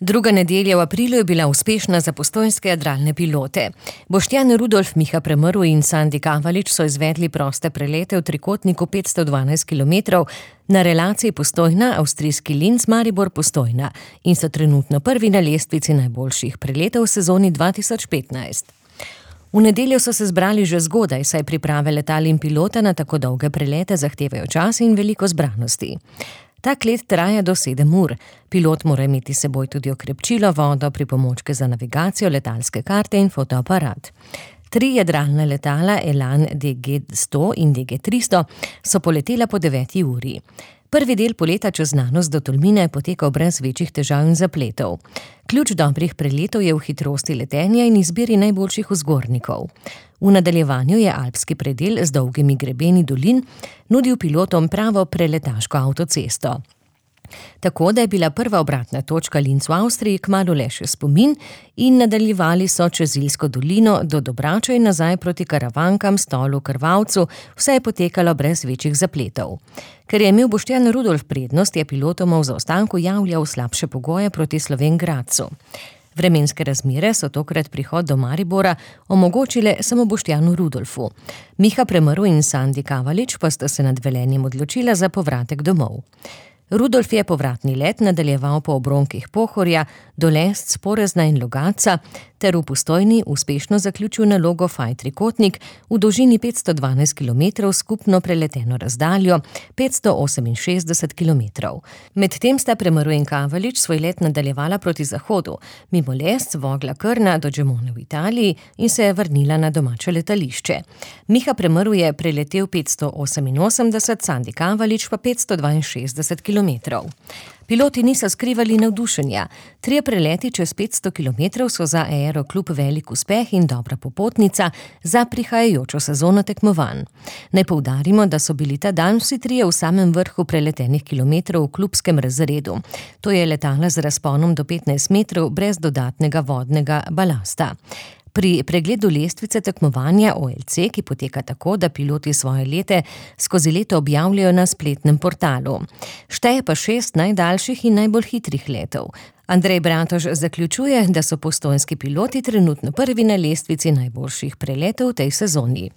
Druga nedelja v aprilu je bila uspešna za postojnske jadralne pilote. Boštjan Rudolf, Miha Premrl in Sandi Kavalič so izvedli proste prelete v trikotniku 512 km na relaciji Postojna, avstrijski Linz, Maribor, Postojna in so trenutno prvi na lestvici najboljših preletov v sezoni 2015. V nedeljo so se zbrali že zgodaj, saj priprave letal in pilota na tako dolge prelete zahtevajo čas in veliko zbranosti. Tak let traja do 7 ur. Pilot mora imeti s seboj tudi okrepčilo, vodo, pripomočke za navigacijo, letalske karte in fotoaparat. 3 jadralna letala Elan DG-100 in DG-300 so poletela po 9 uri. Prvi del poleta čez znanost do Tolmina je potekal brez večjih težav in zapletov. Ključ dobrih preletov je v hitrosti letenja in izbiri najboljših vzgornikov. V nadaljevanju je alpski predel z dolgimi grebeni dolin nudil pilotom pravo preletaško avtocesto. Tako da je bila prva obratna točka Linz v Avstriji kmalu le še spomin in nadaljevali so čez Ilsko dolino do Dobrača in nazaj proti Karavankam, Stolu, Krvavcu, vse je potekalo brez večjih zapletov. Ker je imel Boštjan Rudolf prednost, je pilotoma v zaostanku javljal slabše pogoje proti Slovenj Gradcu. Vremenske razmere so tokrat prihod do Maribora omogočile samo Boštjanu Rudolfu. Miha Premrl in Sandi Kavalič pa sta se nad Velenjem odločila za povratek domov. Rudolf je povratni let nadaljeval po obronkih Pohorja, do Lesc, Porezna in Logatca ter v Postojni uspešno zaključil nalogo Faj trikotnik v dolžini 512 km skupno preleteno razdaljo 568 km. Medtem sta Premrl in Kavalič svoj let nadaljevala proti zahodu, mimo Lesc, Vogla, Krna do Gemone v Italiji in se je vrnila na domače letališče. Miha Premrl je preletel 588, Sandi Kavalič pa 562 km. Piloti niso skrivali navdušenja. 3 preleti čez 500 km so za Aeroklub velik uspeh in dobra popotnica za prihajajočo sezono tekmovanj. Naj poudarimo, da so bili ta dan vsi 3 v samem vrhu preletenih kilometrov v klubskem razredu. To je letala z razponom do 15 metrov brez dodatnega vodnega balasta. Pri pregledu lestvice tekmovanja OLC, ki poteka tako, da piloti svoje lete skozi leto objavljajo na spletnem portalu. Šteje pa 6 najdaljših in najbolj hitrih letov. Andrej Bratož zaključuje, da so postojnski piloti trenutno prvi na lestvici najboljših preletov v tej sezoni.